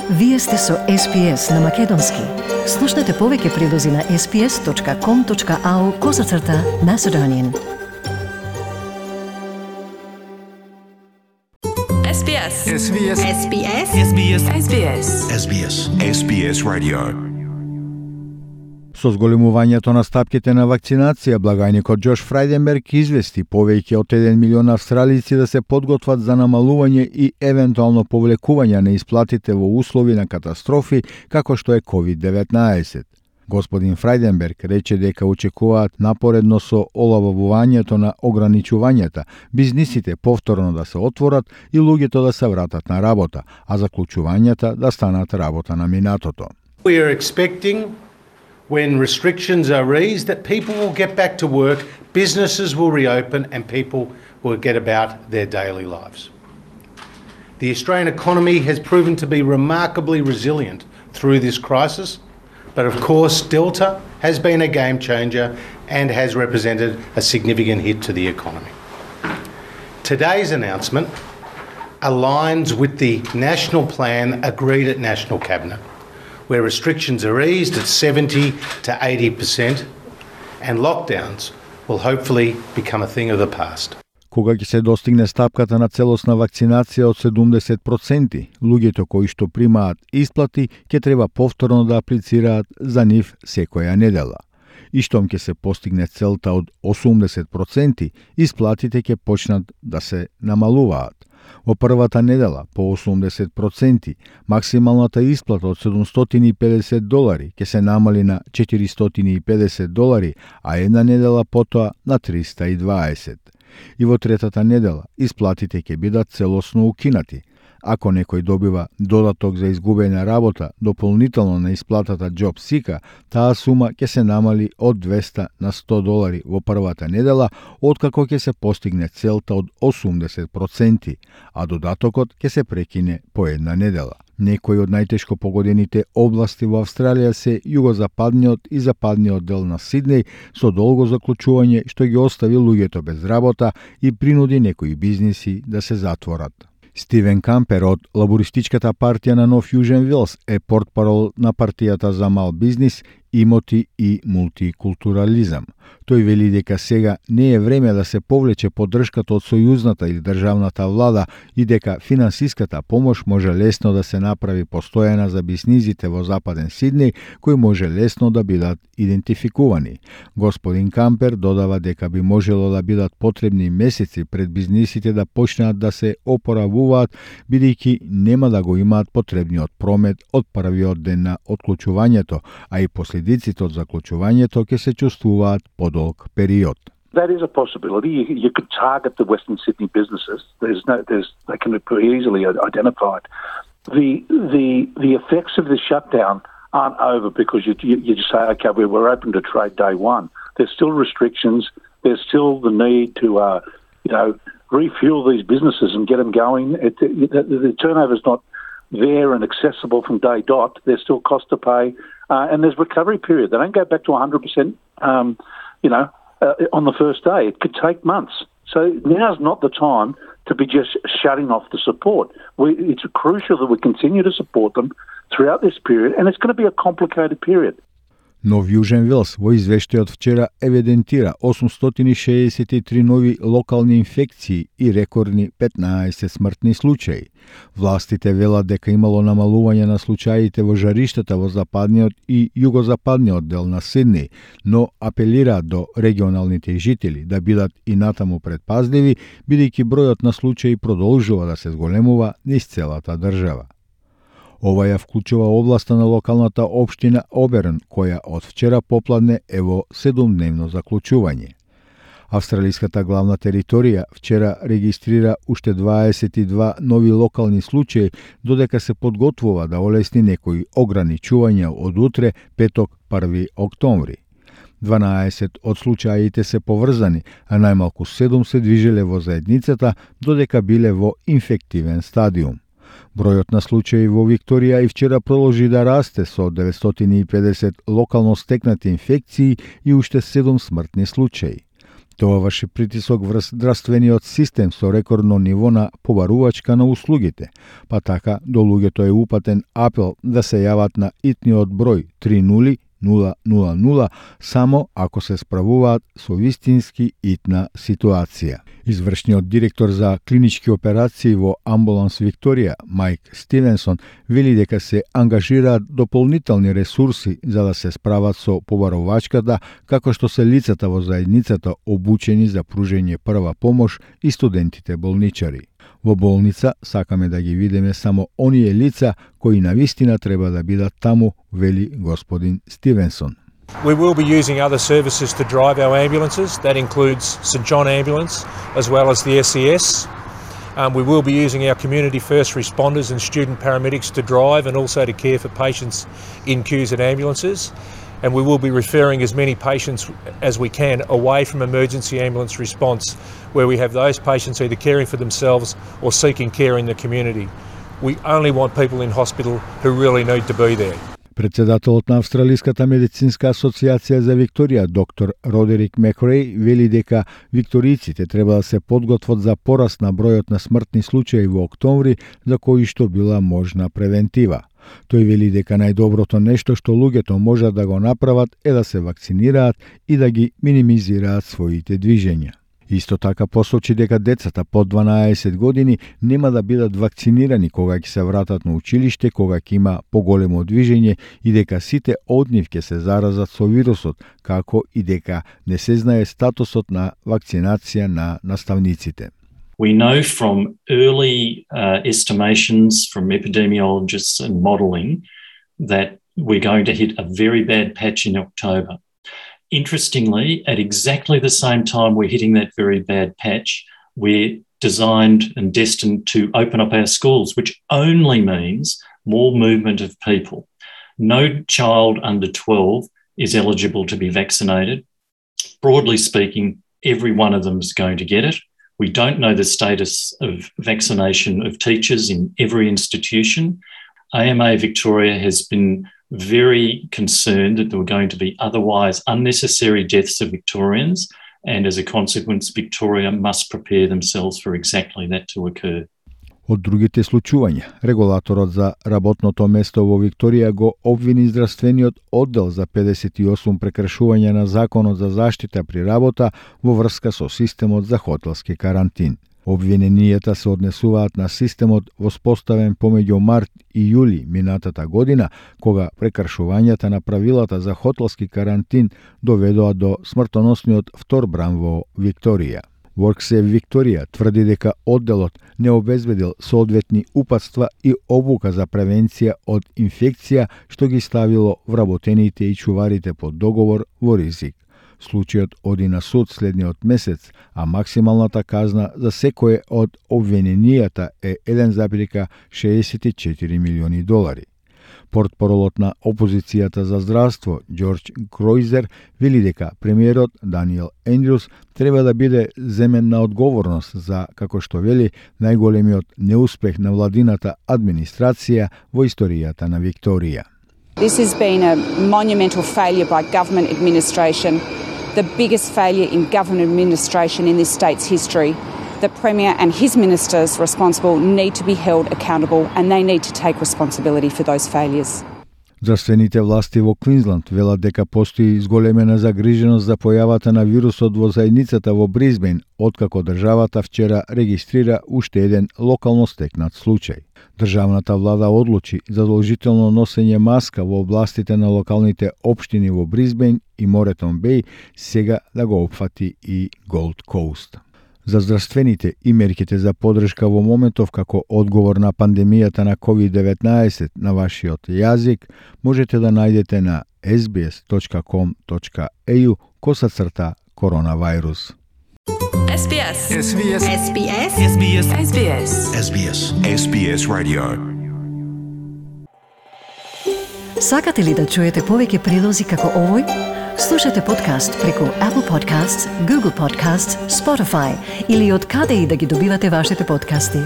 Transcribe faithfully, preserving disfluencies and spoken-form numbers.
Вие сте со Ес Би Ес на Македонски. Слушнете повеќе прилози на ес би ес точка ком точка ау козацрта Macedonian. Ес Би Ес. Ес Би Ес. Ес Би Ес. Ес Би Ес. Ес Би Ес. Ес Би Ес. Ес Би Ес Radio. Со зголемувањето на стапките на вакцинација, благајникот Џош Фрајденберг извести повеќе од еден милион австралици да се подготват за намалување и евентуално повлекување на исплатите во услови на катастрофи како што е ковид деветнаесет. Господин Фрајденберг рече дека очекуваат напоредно со олавувањето на ограничувањата, бизнисите повторно да се отворат и луѓето да се вратат на работа, а заклучувањата да станат работа на минатото. We are expecting when restrictions are eased that people will get back to work, businesses will reopen and people will get about their daily lives. The Australian economy has proven to be remarkably resilient through this crisis, but of course Delta has been a game changer and has represented a significant hit to the economy. Today's announcement aligns with the national plan agreed at National Cabinet, where restrictions are eased at seventy to eighty percent and lockdowns will hopefully become a thing of the past. Кога ќе се достигне стапката на целосна вакцинација од седумдесет проценти, луѓето кои што примаат исплати ќе треба повторно да аплицираат за нив секоја недела. И штом ќе се постигне целта од осумдесет проценти, исплатите ќе почнат да се намалуваат. Во првата недела по осумдесет проценти, максималната исплата од седумстотини и педесет долари ќе се намали на четиристотини и педесет долари, а една недела потоа на триста и дваесет. И во третата недела исплатите ќе бидат целосно укинати. Ако некој добива додаток за изгубена работа дополнително на исплатата Job Seeker, таа сума ќе се намали од двеста на сто долари во првата недела, откако ќе се постигне целта од осумдесет проценти, а додатокот ќе се прекине по една недела. Некои од најтешко погодените области во Австралија се југозападниот и западниот дел на Сиднеј со долго заклучување што ги остави луѓето без работа и принуди некои бизниси да се затворат. Стивен Кампер од Лабористичката партија на Нов Јужен Велс е портпарол на партијата за мал бизнис, имоти и мултикултурализам. Тој вели дека сега не е време да се повлече поддршката од сојузната или државната влада и дека финансиската помош може лесно да се направи постојана за бизнисите во Западен Сиднеј, кои може лесно да бидат идентификувани. Господин Кампер додава дека би можело да бидат потребни месеци пред бизнисите да почнат да се опоравуваат, бидејќи нема да го имаат потребниот промет од првиот ден на отклучувањето, а и последиците од заклучувањето ќе се чувствуваат подолг период. That is a possibility. You, you could target the Western Sydney businesses. There's no, there's, they can be easily identified. The the the effects of the shutdown aren't over because you you, you just say, okay, we we're open to trade day one. There's still restrictions. There's still the need to uh, you know refuel these businesses and get them going. It, it, the, the turnover's not there and accessible from day dot. There's still cost to pay, uh, and there's recovery period. They don't go back to one hundred percent. Um, you know. Uh, on the first day. It could take months. So now's not the time to be just shutting off the support. We, it's crucial that we continue to support them throughout this period, and it's going to be a complicated period. Нов Јужен Велс во извештајот вчера евидентира осумстотини шеесет и три нови локални инфекции и рекордни петнаесет смртни случаи. Властите велат дека имало намалување на случаите во жариштата во западниот и југозападниот дел на Сиднеј, но апелираат до регионалните жители да бидат и натаму предпазливи, бидејќи бројот на случаи продолжува да се зголемува низ целата држава. Ова ја вклучува областа на локалната општина Оберн, која од вчера попладне е во седумдневно заклучување. Австралиската главна територија вчера регистрира уште дваесет и два нови локални случаи, додека се подготвува да олесни некои ограничувања од утре, петок, први октомври. дванаесет од случаите се поврзани, а најмалку седум се движеле во заедницата, додека биле во инфективен стадиум. Бројот на случаи во Викторија и вчера продолжи да расте со деветстотини и педесет локално стекнати инфекции и уште седум смртни случаи. Тоа врши притисок врз здравствениот систем со рекордно ниво на побарувачка на услугите, па така до луѓето е упатен апел да се јават на итниот број три нула нула нула нула само ако се справуваат со вистински итна ситуација. Извршниот директор за клинички операции во Амбуланс Викторија, Майк Стивенсон, вели дека се ангажираат дополнителни ресурси за да се справат со побарувачката, како што се лицата во заедницата обучени за пружење прва помош и студентите болничари. Во болница сакаме да ги видиме само оние лица кои навистина треба да бидат таму, вели господин Стивенсон. We will be using other services to drive our ambulances. That includes St John Ambulance as well as the S E S. Um, we will be using our community first responders and student paramedics to drive and also to care for patients in queues at ambulances. And we will be referring as many patients as we can away from emergency ambulance response, where we have those patients either caring for themselves or seeking care in the community. We only want people in hospital who really need to be there. Председателот на Австралиската медицинска асоциација за Викторија, доктор Родерик Мекреј, вели дека викторијците треба да се подготват за пораст на бројот на смртни случаи во октомври, за кои што била можна превентива. Тој вели дека најдоброто нешто што луѓето можат да го направат е да се вакцинираат и да ги минимизираат своите движења. Исто така посочи дека децата под дванаесет години нема да бидат вакцинирани кога ќе се вратат на училиште, кога ќе има поголемо движење и дека сите од нив ќе се заразат со вирусот, како и дека не се знае статусот на вакцинација на наставниците. We know from early uh, estimations from epidemiologists and modelling that we're going to hit a very bad patch in October. Interestingly, at exactly the same time we're hitting that very bad patch, we're designed and destined to open up our schools, which only means more movement of people. No child under twelve is eligible to be vaccinated. Broadly speaking, every one of them is going to get it. We don't know the status of vaccination of teachers in every institution. A M A Victoria has been very concerned that there were going to be otherwise unnecessary deaths of Victorians, and as a consequence, Victoria must prepare themselves for exactly that to occur. Од другите случувања, регулаторот за работното место во Викторија го обвини здравствениот оддел за педесет и осум прекршувања на Законот за заштита при работа во врска со системот за хотелски карантин. Обвиненијата се однесуваат на системот воспоставен помеѓу март и јули минатата година, кога прекршувањата на правилата за хотелски карантин доведоа до смртоносниот втор бран во Викторија. WorkSafe Викторија тврди дека одделот не обезбедил соодветни упатства и обука за превенција од инфекција, што ги ставило вработените и чуварите под договор во ризик. Случајот оди на суд следниот месец, а максималната казна за секое од обвиненијата е еден зарез шеесет и четири милиони долари. Портпаролот на опозицијата за здравство, Џорџ Кројзер, вели дека премиерот Даниел Ендрюс треба да биде земен на одговорност за, како што вели, најголемиот неуспех на владината администрација во историјата на Викторија. This has been a monumental failure by government administration, the biggest failure in government administration in this state's history. The Premier and his ministers responsible need to be held accountable, and they need to take responsibility for those failures. Здравствените власти во Квинсленд велат дека постои зголемена загриженост за појавата на вирусот во заедницата во Брисбен, откако државата вчера регистрира уште еден локално стекнат случај. Државната влада одлучи задолжително носење маска во областите на локалните општини во Брисбен и Моретон Беј, сега да го опфати и Голд Коуст. За здравствените и мерките за поддршка во моментов како одговор на пандемијата на ковид деветнаесет на вашиот јазик можете да најдете на ес би ес точка ком точка ей ю косацрта коронавирус. S B S. S B S. S B S. S B S. S B S. S B S. S B S Radio. Сакате ли да чуете повеќе прилози како овој? Слушате подкаст преку Apple Podcasts, Google Podcasts, Spotify или од каде и да ги добивате вашите подкасти.